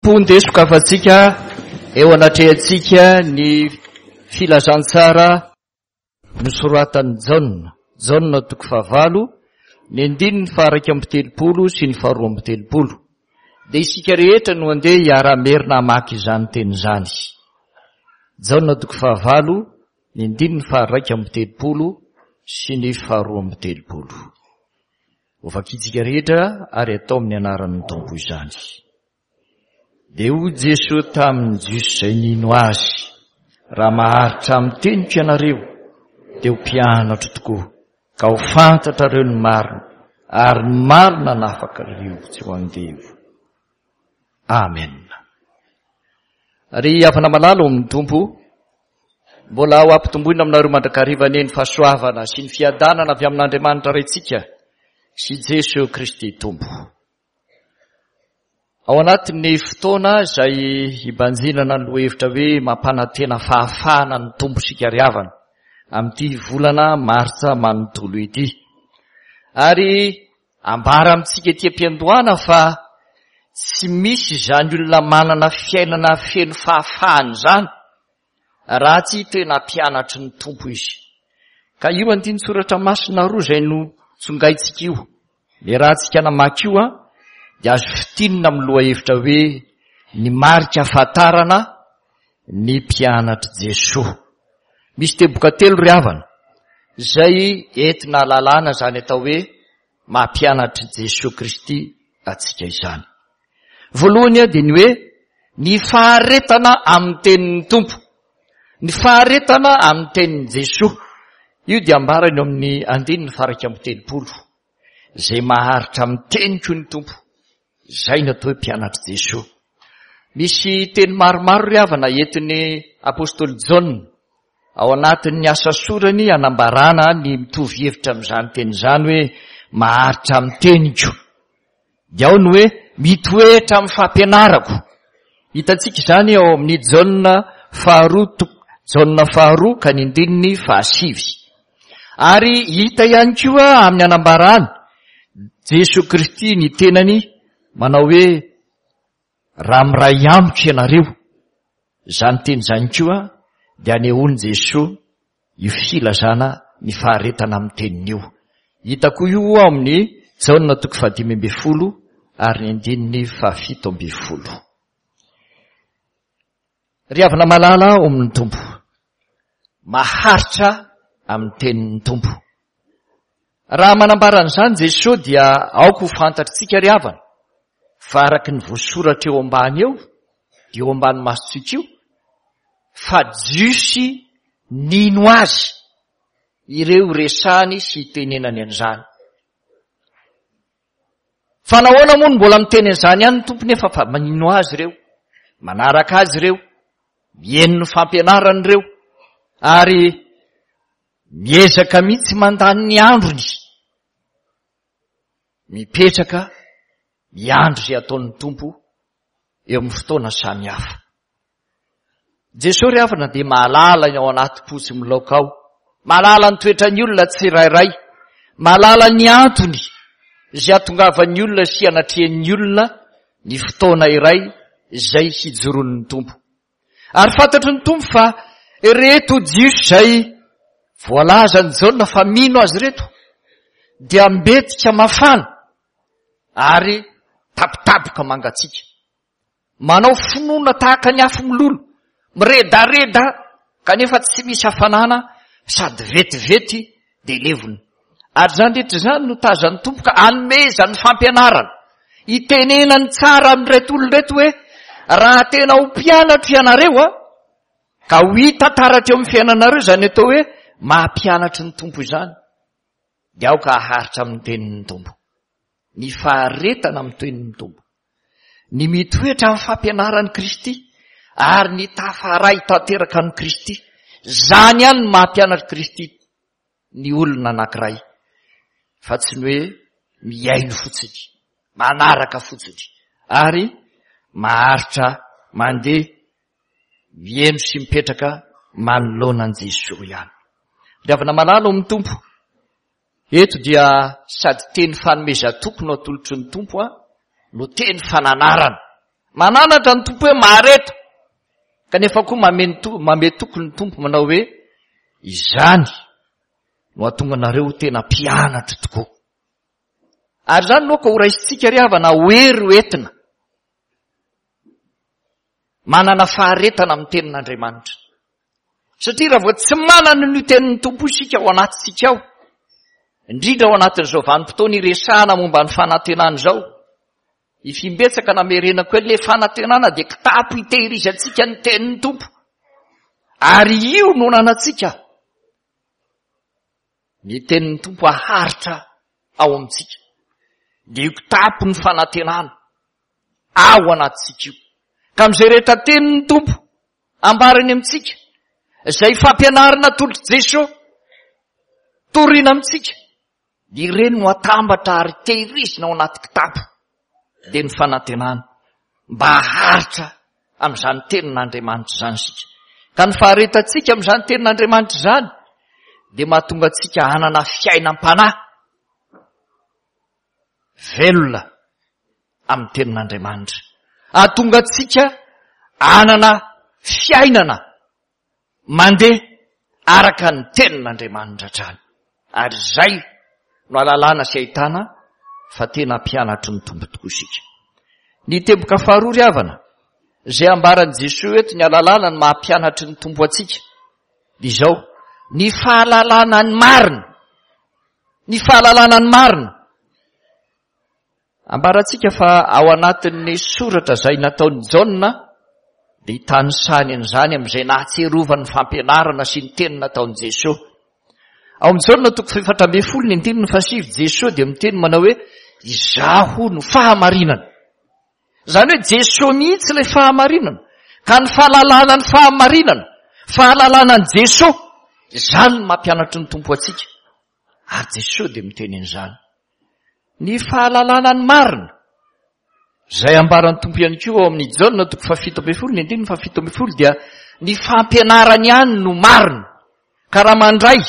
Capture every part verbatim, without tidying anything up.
Tompo ndeha sokafantsika eo anatrehantsika ny filazantsara nosoratan'i Jaona. Jaona toko fahavalo, ny andininy faha-iraika amby telopolo sy ny faharoa amby telopolo. Dia isika rehetra no andeha hiara-merina hamaky izany teny izany. Jaona toko fahavalo, ny andininy faha-iraika amby telopolo sy ny faharoa amby telopolo. Hovakintsika rehetra ary atao amin'ny anaran'ny Tompo izany. Dia hoy Jesoa tamin'ny Jiosy izay nino Azy, Raha maharitra amin'ny teniko ianareo, dia ho mpianatro tokoa, ka ho fantatrareo ny marina, ary ny marina hanafaka anareo tsy ho andevo. Amen. Ry havana malala ao amin'ny Tompo, mbola ho ampitomboina aminareo mandrakariva anie ny fahasoavana sy ny fiadanana avy amin'Andriamanitra Raintsika sy Jesoa Kristy Tompo. Ao anatin'ny fotoana izay hibanjinana ny lohahevitra hoe mampanantena fahafahana ny Tompo isika ry havana amin'ity volana martsa manontolo ity. Ary ambara amintsika ety am-piandohana fa tsy misy izany olona manana fiainana feno fahafahana izany raha tsy tena mpianatry ny Tompo izy. Ka io andinin-tsoratra masina roa izay no tsongaintsika io, niarahantsika namaky io, dia azo fintinina amin'ny lohahevitra hoe ny marika ahafantarana ny mpianatr'i Jesoa. Misy teboka telo ry havana izay entina ahalalana izany atao hoe maha mpianatr'i Jesoa Kristy antsika izany. Voalohany dia ny hoe ny faharetana amin'ny tenin'ny Tompo. Ny faharetana amin'ny tenin'i Jesoa. Io dia ambarany eo amin'ny andininy faha-iraika amby telopolo. Izay maharitra amin'ny teniko ny Tompo. Izay no atao hoe mpianatr'i Jesoa. Misy teny maromaro ry havana entin'ny apostoly Jaona ao anatin'ny asa sorany hanambarana ny mitovy hevitra amin'izany teny izany hoe maharitra amin'ny teniko. Dia ao ny hoe mitoetra amin'ny fampianarako. Hitantsika izany ao amin'ny Jaona faharoa toko, Jaona faharoa ka ny andininy fahasivy. Ary hita ihany koa amin'ny anambarany Jesoa Kristy ny tenany manao hoe raha miray amiko ianareo. Izany teny izany koa dia anehoan'i Jesoa io filazana ny faharetana amin'ny teniny io. Hita koa io ao amin'ny Jaona toko fahadimy ambin'ny folo ary ny andininy fahafito ambin'ny folo. Ry havana malala ao amin'ny Tompo, maharitra amin'ny tenin'ny Tompo. Raha manambara an'izany Jesoa dia aoka ho fantatritsika ry havana fa araka ny voasoratra eo ambany eo, dia eo ambany masontsika io, fa Jiosy nino azy ireo resany sy itenenany an'izany. Fa nahoana moa no mbola miteny an'izany ihany ny Tompo nefa fa mino azy ireo, manaraka azy ireo, mihaino ny fampianarany ireo, ary miezaka mihitsy mandany ny androny, mipetraka miandry izay ataon'ny Tompo eo amin'ny fotoana samihafa. Jesoa ry havana dia mahalala ny ao anaty po sy milaoka ao, mahalala ny toetran'ny olona tsirairay, mahalala ny antony izay hahatongavan'ny olona sy hanatrehan'ny olona ny fotoana iray izay hijoroan'ny Tompo. Ary fantatry ny Tompo fa ireto Jiosy izay voalazan'i Jaona fa mino azy ireto dia mbetika mafana ary tapitapoka mangatsiaka. Manao finoana tahaka ny afo milolo, miredareda kanefa tsy misy hafanana sady vetivety dia levona. Ary izany rehetra izany no tazan'ny Tompo ka anomezany fampianarana, itenenany tsara amin'ireto olona ireto hoe raha tena ho mpianatro ianareo a, ka ho hita taratra eo amin'ny fiainanareo izany atao hoe maha mpianatry ny Tompo izany, dia aoka haharitra amin'ny tenin'ny Tompo, ny faharetana amin'ny tenin'ny Tompo, ny mitoetra amin'ny fampianaran'i Kristy ary ny tafaray tanteraka amin'i Kristy. Izany ihany no maha mpianatr'i Kristy ny olona anankiray, fa tsy ny hoe mihaino fotsiny, manaraka fotsiny, ary maharitra mandeha mihaino sy mipetraka manoloana an'i Jesoa ihany. Ry havana malala ao amin'ny Tompo, eto dia sady teny fanomezan-toky no atolotry ny Tompo no teny fananarana Mananatra ny Tompo hoe mahareta, kanefa koa manome toky ny Tompo manao hoe izany no hahatonga anareo ho tena mpianatra tokoa. Ary izany no ka ho raisintsika ry havana ho hery ho entina manana faharetana amin'ny tenin'Andriamanitra. Satria raha vao tsy manana ny tenin'ny Tompo isika ao anatintsika ao, indrindra ao anatin'izao vanim-potoana iresahana momba ny fanantenana izao, ifimbetsaka namerenako hoe le fanantenana dia kitapo hitehirizantsika ny tenin'ny Tompo. Ary io no nanantsika. Ny tenin'ny Tompo aharitra ao amintsika. Dia io kitapo ny fanantenana ao anatintsika io. Ka amin'izay rehetra tenin'ny Tompo ambarany amintsika, izay fampianarana atolotr'i Jesosy torina amintsika, dia ireny no atambatra ary tehirizina ao anaty kitapo, dia ny fanantenana mba haharitra amin'izany tenin'Andriamanitra izany isika. Ka ny faharetantsika amin'izany tenin'Andriamanitra izany dia mahatonga antsika hanana fiainam-panahy velona amin'ny tenin'Andriamanitra. Hahatonga antsika hanana fiainana mandeha araka ny tenin'Andriamanitra hatrany. Ary izay no ahalalana sy ahitana fa tena mpianatry ny Tompo tokoa isika. Ny teboka faharoa ry havana, izay ambaran'i Jesoa eto ny ahalalana ny maha mpianatry ny Tompo antsika, dia izao: ny fahalalana ny marina. Ny fahalalana ny marina. Ambarantsika fa ao anatin'ny soratra izay nataon'i Jaona dia itanisany an'izany amin'izay nahatsiarovany ny fampianarana sy ny teny nataon'i Jesoa. Ao amin'i Jaona toko fahefatra ambin'ny folo ny andininy fahasivy, Jesoa dia miteny manao hoe izaho no fahamarinana. Izany hoe Jesoa mihitsy ilay fahamarinana. Ka ny fahalalana ny fahamarinana, fahalalana an'i Jesoa, izany no mampianatry ny Tompo antsika. Ary Jesoa dia miteny an'izany. Ny fahalalana ny marina, izay ambaran'ny Tompo ihany koa ao amin'ny Jaona toko fahafito ambin'ny folo ny andininy fahafito ambin'ny folo, dia ny fampianarany ihany no marina. Ka raha mandray,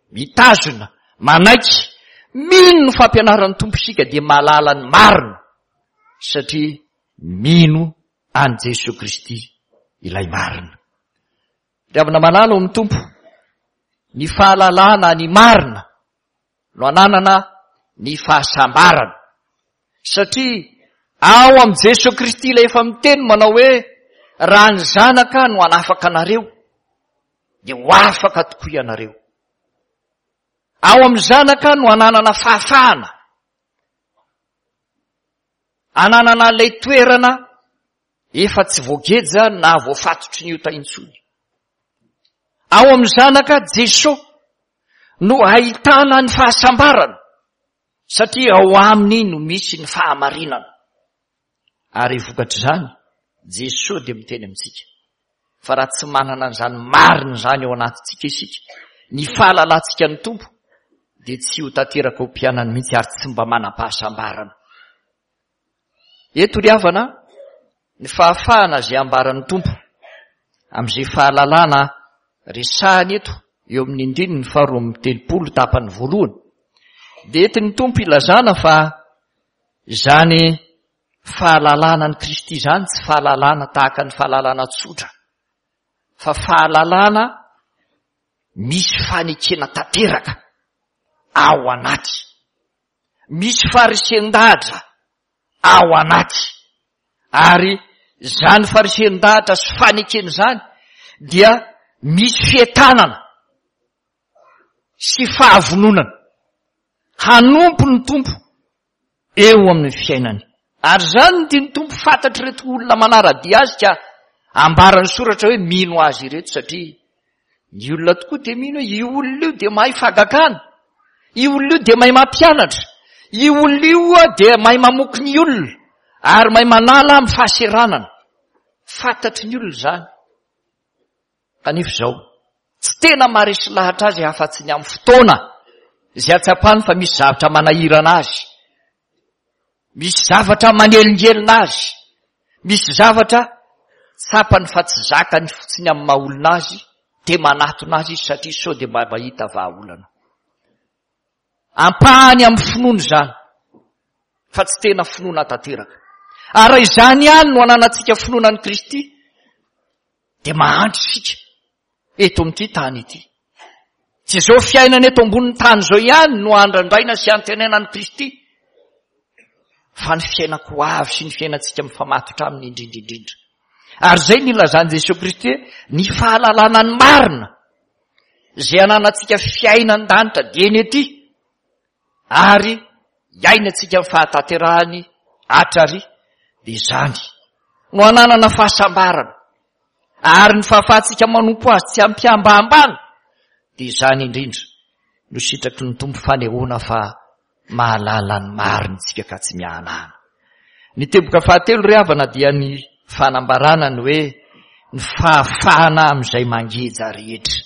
mitazona, manaiky, mino ny fampianaran'ny Tompo isika dia mahalala ny marina, satria mino an'i Jesoa Kristy ilay marina. Ry havana malala ao amin'ny Tompo, ny fahalalana ny marina no ananana ny fahasambarana, satria ao amin'i Jesoa Kristy ilay efa miteny manao hoe raha ny zanaka no hanafaka anareo dia ho afaka tokoa ianareo. Ao amin'ny zanaka no ananana fahafahana, ananana ilay toerana efa tsy voageja na voafatotry ny ota intsony. Ao amin'ny zanaka Jesoa no ahitana ny fahasambarana, satria ao aminy no misy ny fahamarinana. Ary vokatr'izany, Jesoa dia miteny amintsika fa raha tsy manana an'izany marina izany ao anatintsika isika, ny fahalalantsika ny Tompo dia tsy ho tanteraka ho mpianany mihitsy ary tsy mba manam-pahasambarana. Eto ry havana, ny fahafahana izay ambaran'ny Tompo amin'izay fahalalana resahany eto eo amin'ny andininy faharoa amby telopolo tapany voalohany, dia entin'ny Tompo ilazana fa izany fahalalana ny Kristy izany tsy fahalalana tahaka ny fahalalana tsotra, fa fahalalana misy fanekena tanteraka ao anaty, misy faharesen-dahatra ao anaty. Ary izany faharesen-dahatra sy fanekena izany dia misy fientanana sy fahavononana hanompo ny Tompo eo amin'ny fiainany. Ary izany no tian'ny Tompo fantatr'ireto olona manara-dia azy ka ambaran'ny soratra hoe mino azy ireto, satria ny olona tokoa dia mino hoe io olona io dia mahay fahagagana, io olona io dia mahay mampianatra, io olona io dia mahay mamoky ny olona ary mahay manala amin'ny fahaseranana. Fantatry ny olona izany. Kanefa izao, tsy tena maharesy lahatra azy afa-tsy ny amin'ny fotoana izay atsapany fa misy zavatra manahirana azy, misy zavatra manelingelina azy, misy zavatra tsapany fa tsy zakany fotsiny amin'ny maha olona azy, dia manatona azy izy satria sao dia mba mahita vahaolana. Ampahany amin'ny finoana izany, fa tsy tena finoana tanteraka. Ary raha izany ihany no ananantsika finoana an'i Kristy, dia mahantra isika eto amin'ity tany ity. Tsy izao fiainana eto ambonin'ny tany izao ihany no andrandraina sy antenaina an'i Kristy, fa ny fiainako ho avy sy ny fiainantsika mifamatotra aminy indrindra indrindra. Ary izay no ilazan'i Jesoa Kristy hoe ny fahalalana ny marina izay ananantsika fiainan-danitra dieny ety ary iainantsika amin'ny fahatanterahany hatrary, dia izany no ananana fahasambarana ary ny fahafahantsika manompo azy tsy ampiambahambana, dia izany indrindra no sitraky ny Tompo fanehoana fa mahalala ny marina isika ka tsy miahanahana. Ny teboka fahatelo ry havana dia ny fanambarana ny hoe ny fahafahana amin'izay mangeja rehetra.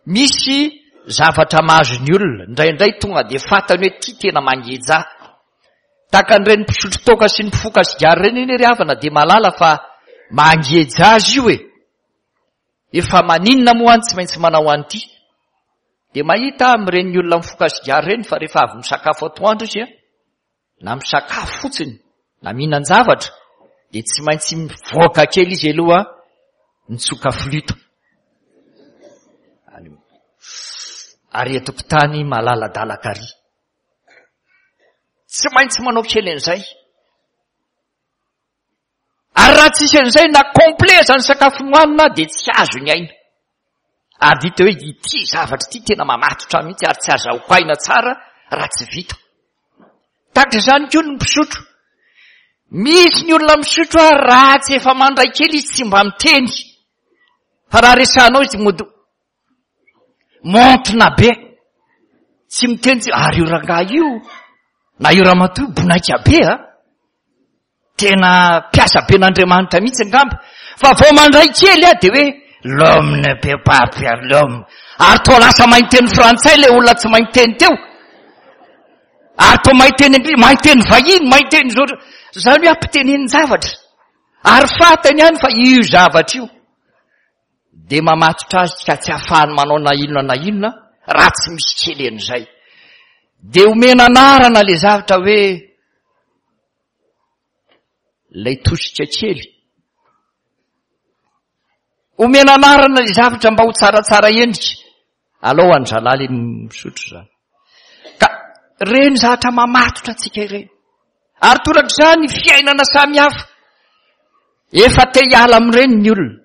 Misy zavatra mahazo ny olona, indraindray tonga dia fantany hoe ity tena mangeja. Tahaka an'ireny mpisotro toaka sy ny mpifoka sigara ireny anie ry havana dia mahalala fa mangeja azy io e. Efa maninona moa any tsy maintsy manao an'ity. Dia mahita amin'ireny olona mifoka sigara ireny fa rehefa avy misakafo atoandro izy, na misakafo fotsiny, na mihinan-javatra, dia tsy maintsy mivoaka kely izy aloha mitsoka flûte. Ary an-tokotany malaladalaka ary. Tsy maintsy manao kely an'izay. Ary raha tsisy an'izay na complet zany sakafo nohanina dia tsy azo ny aina. Ary hita hoe ity zavatra ity tena mamatotra mihitsy ary tsy azahoako aina tsara raha tsy vita. Tahaka izany koa ny mpisotro. Misy ny olona misotro ary raha tsy efa mandray kely izy tsy mba miteny. Fa raha resahanao izy mody montina be. Tsy miteny tsy, ary io rangahy io na io ramatoa io bonaika be a. Tena mpiasa be n'Andriamanitra mihitsy angamba. Fa vao mandray kely a dia hoe l'homme ne peut pas faire l'homme. Ary toa lasa mahay miteny frantsay ilay olona tsy mahay miteny teo. Ary toa mahay teny anglisy, mahay teny vahiny, mahay teny zao. Izany hoe ampitenenin-javatra. Ary fantany ihany fa io zavatra io dia mamatotra azy ka tsy ahafahany manao na inona na inona raha tsy misy kely an'izay. Dia omena anarana ilay zavatra hoe ilay tosika kely. Omena anarana ilay zavatra mba ho tsaratsara endrika. Alao an'zalahy ilay misotro izany. Ka ireny zavatra mamatotra antsika ireny. Ary torak'izany fiainana samihafa. Efa te hiala amin'ireny ny olona.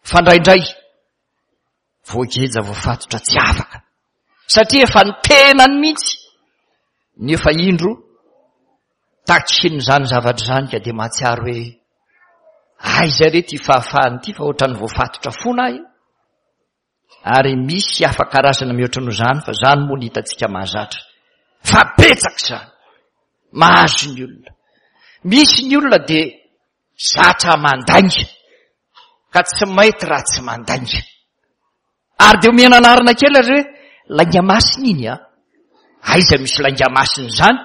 Fa indraindray voageja voafatotra tsy afaka. Satria efa ny tenany mihitsy nefa indro takin'izany zavatra izany ka dia mahatsiaro hoe aiza re ty fahafahana ity fa ohatran'ny voafatotra foana aho. Ary misy hafa karazana mihoatra noho izany fa izany moa ny hitantsika mahazatra. Fa betsaka izany mahazo ny olona. Misy ny olona dia zatra mandainga ka tsy maity raha tsy mandainga. Ary dia omena anarana kely ary hoe lainga masina iny a. Aiza misy lainga masina izany?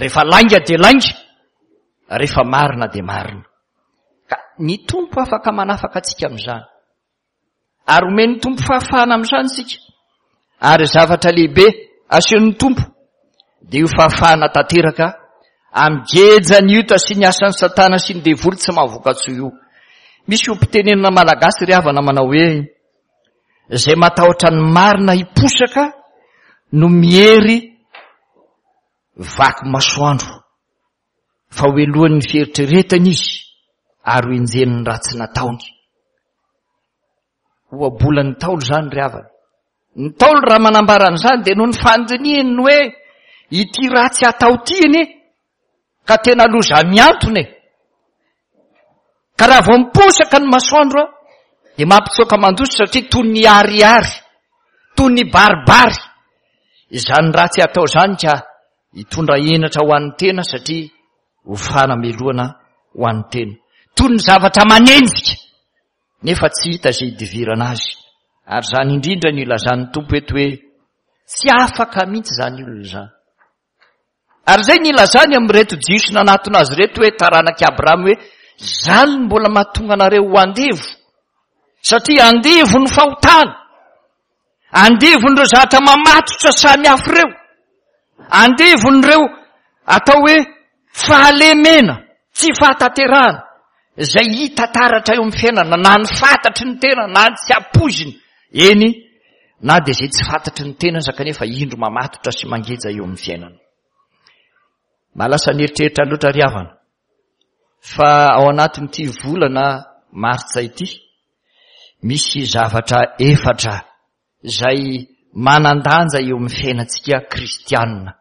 Rehefa lainga dia lainga, rehefa marina dia marina. Ka ny Tompo afaka manafaka antsika amin'izany. Ary omen'ny Tompo fahafahana amin'izany isika. Ary zavatra lehibe asehon'ny Tompo dia io fahafahana tanteraka amin'ny gejan'ny ota sy ny asan'ny Satana sy ny devoly tsy mahavoka-tsoa io. Misy mpitenenana malagasy ry havana manao hoe izay matahotra ny marina hiposaka no miery vaky masoandro, fa ho elohan'ny fieritreretana izy ary ho enjehin'ny ratsy nataony. Ohabolan'ny Ntaolo izany ry havana. Ny Ntaolo raha manambara an'izany dia noho ny fandinihany ny hoe ity ratsy atao ity anie ka tena loza miantona e. Ka raha vao miposaka ny masoandro a dia mampitsoaka mandositra satria toy ny ariary, toy ny baribary izany ratsy atao izany ka hitondra henatra ho an'ny tena satria ho fanamelohana ho an'ny tena. Toy ny zavatra manenjika nefa tsy hita izay hidivirana azy. Ary izany indrindra no ilazan'ny Tompo eto hoe tsy afaka mihitsy izany olona izany. Ary izay no ilazany amin'ireto Jiosy nanatona azy ireto hoe taranak'i Abrahama hoe izany no mbola mahatonga anareo ho andevo, satria andevo ny fahotana, andevon'ireo zavatra mamatotra samihafa ireo, andevon'ireo atao hoe fahalemena, Tsy fahatanterahana izay hita taratra eo amin'ny fiainana, na ny fantatry ny tena na ny tsy ampoizina. Eny, na dia izay tsy fantatry ny tena aza kanefa indro mamatotra sy mangeja eo amin'ny fiainana. Mahalasa ny eritreritra loatra ry havana fa ao anatin'ity volana martsa ity misy zavatra efatra izay manan-danja eo amin'ny fiainantsika kristianina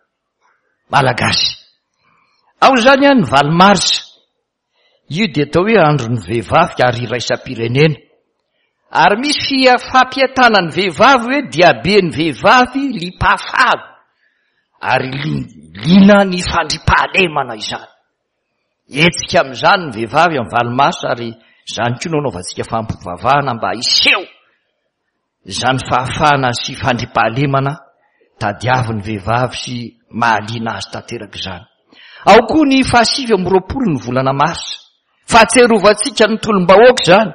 malagasy. Ao izany ny valo marsa, io dia atao hoe andron'ny vehivavy ary iraisam-pirenena. Ary misy fampiantana ny vehivavy hoe diaben'ny vehivavy liam-pahafahana ary liana ny fandriampahalemana izany. Hetsika amin'izany ny vehivavy amin'ny valo marsa ary izany koa no anaovantsika fampivavahana mba hiseho izany fahafahana sy fandriampahalemana tadiavin'ny vehivavy sy mahaliana azy tanteraka izany. Ao koa ny fahasivy amby roapolo ny volana marsa. Fahatsiarovantsika ny tolom-bahoaka izany,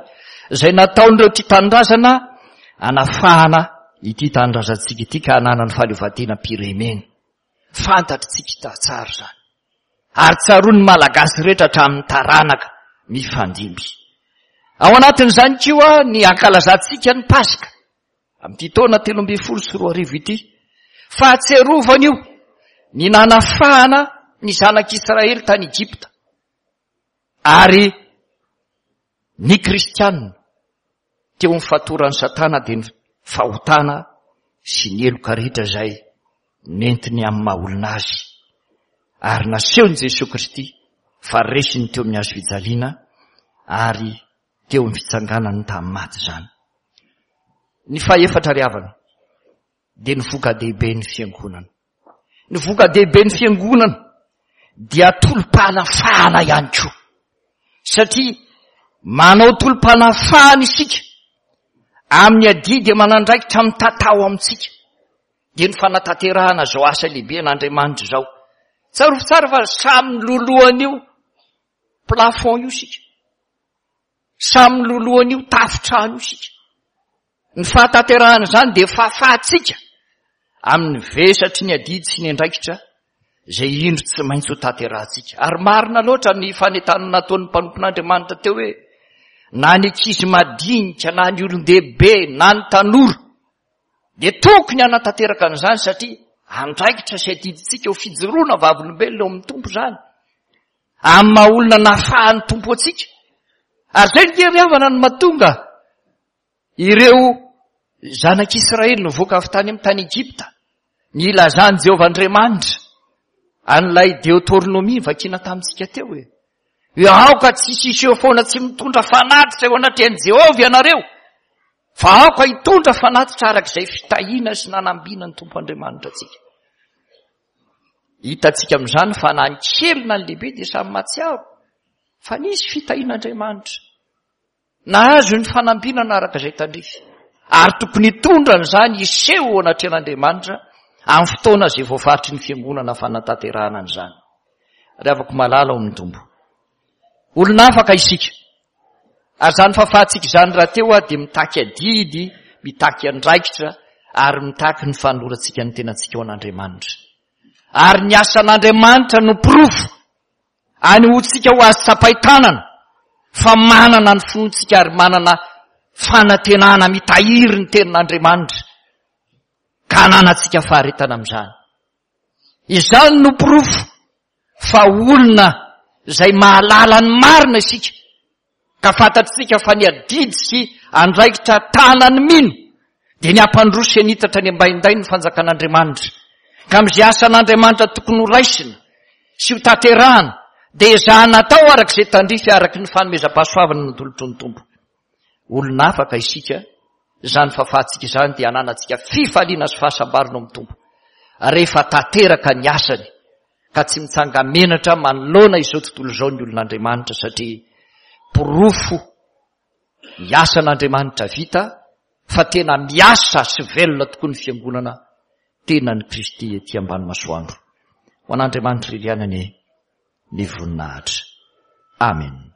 izay nataon'ireo tia tanindrazana hanafahana ity tanindrazantsika ity ka hananany fahaleovantenam-pirenena. Fantatritsika tsara izany. Ary tsaroan'ny Malagasy rehetra hatramin'ny taranaka mifandimby. Ao anatin'izany koa ny ankalazantsika ny Paska amin'ity taona telo ambin'ny folo sy roa arivo ity. Fahatsiarovana io ny nanafahana ny zanak'Israely tany Egypta. Ary ny kristianina teo amin'ny fatoran'ny Satana dia ny fahotana sy ny heloka rehetra izay nentiny amin'ny maha olona azy. Ary nasehon'i Jesoa Kristy fa resiny teo amin'ny hazo fijaliana ary teo amin'ny fitsanganany tamin'ny maty izany. Ny fahefatra ry havana dia ny voka-dehiben'ny fiangonana. Ny voka-dehiben'ny fiangonana dia tolom-panafahana ihany koa. Satria manao tolom-panafahana isika amin'ny adidy aman'andraikitra mitatao amintsika. Dia ny fanatanterahana izao asa lehibe an'Andriamanitra izao. Tsarovy tsara fa samy lolohan'io plafond io isika. Samy lolohan'io tafotrano io isika. Ny fahatanterahana izany dia fahafahantsika amin'ny vesatry ny adidy sy ny andraikitra izay indro tsy maintsy ho tanterahantsika. Ary marina loatra ny fanentanana nataon'ny mpanompon'Andriamanitra teo hoe na ny ankizy madinika, na ny olon-dehibe, na ny tanora dia tokony hanatanteraka an'izany satria andraikitra sy adidintsika ho fijoroana vavolombelona eo amin'ny Tompo izany. Amin'ny maha olona nafahan'ny Tompo antsika. Ary izay ny ry havana no mahatonga ireo zanak'Israely nivoaka avy tany amin'ny tany Egypta, nilazan'i Jehovah Andriamanitra an'ilay Deoteronomia vakina tamintsika teo hoe hoe aoka tsy hisy foana tsy mitondra fanatitra eo anatrehan'i Jehovah ianareo, fa aoka hitondra fanatitra araka izay fitahiana sy nanambina ny Tompo Andriamanitra antsika. Hitantsika amin'izany fa na ny kely na ny lehibe dia samy mahatsiaro fa nisy fitahian'Andriamanitra. Nahazo ny fanambinana araka izay tandrify. Ary tokony hitondra an'izany hiseho eo anatrehan'Andriamanitra amin'ny fotoana izay voafaritry ny fiangonana fanatanterahana an'izany. Ry havako malala ao amin'ny Tompo. Olona afaka isika. Ary izany fahafahantsika izany rahateo dia mitaky adidy, mitaky andraikitra ary mitaky ny fanolorantsika ny tenantsika ho an'Andriamanitra. Ary ny asan'Andriamanitra no porofo anehoantsika ho azy tsapain-tanana fa manana ny finoantsika ary manana fanantenana mitahiry ny tenin'Andriamanitra ka ananantsika faharetana amin'izany. Izany no porofo fa olona izay mahalala ny marina isika ka fantatsika fa ny adidy sy andraikitra tanany mino dia ny hampandroso sy hanitatra ny ambaindainy ny fanjakan'Andriamanitra. Ka amin'izay asan'Andriamanitra tokony ho raisina sy ho tanterahana dia ezahana atao araka izay tandrify araka ny fanomezam-pahasoavana natolotry ny Tompo. Olona afaka isika, izany fahafahantsika izany dia ananantsika fifaliana sy fahasambarana ao amin'ny Tompo rehefa tanteraka ny asany ka tsy mitsanga-menatra manoloana izao tontolo izao ny olon'Andriamanitra satria porofo ny asan'Andriamanitra vita fa tena miasa sy velona tokoa ny fiangonana tenan'i Kristy ety ambany masoandro. Ho an'Andriamanitra irery ihany anie ny voninahitra. Amen.